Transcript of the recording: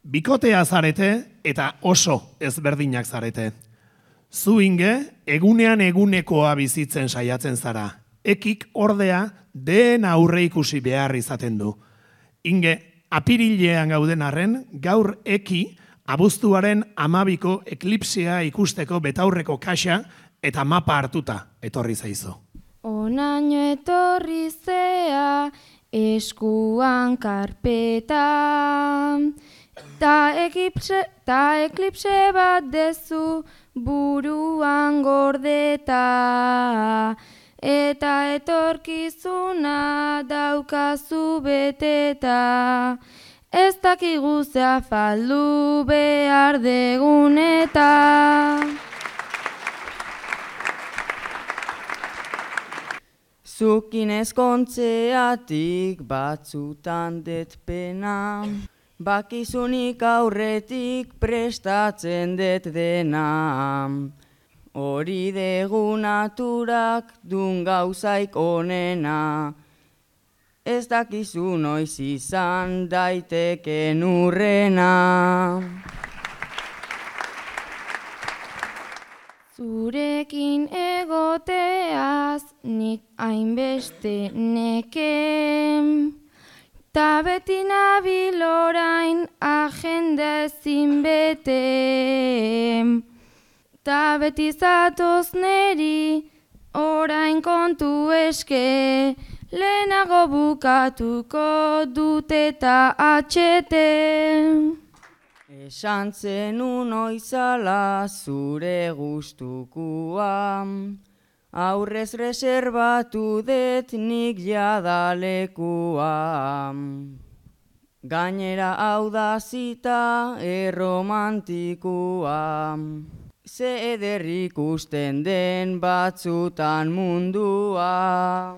Bikotea zarete eta oso ezberdinak zarete. Zu Inge, egunean egunekoa bizitzen saiatzen zara. Ekik ordea den aurre ikusi behar izaten du. Inge, apirilean gauden arren, gaur eki abuztuaren 12ko eklipsia ikusteko betaurreko kaxa eta mapa hartuta etorri zaizu. Onaino etorri zea eskuan karpeta, ta eklipse bat dezu buruan gordeta, eta etorkizuna daukazu beteta, ez dakigu ze afaldu behar degun eta. Zukin ezkontzeatik batzutan det pena, bakizunik aurretik prestatzen det dena. Hori degu naturak dun gauzaik onena, ez dakizu noiz izan daiteken urrena. Zurekin egoteaz nik hainbeste nekem, ta beti nabil orain agenda ezin bete. Ta beti zatoz neri orain kontu eske, lehenago bukatuko dut eta atxete. Esan zenun oizala zure gustukoa, aurrez reserbatu det nik jadalekua. Gainera hau da zita erromantikoa, ze eder ikusten den batzutan mundua.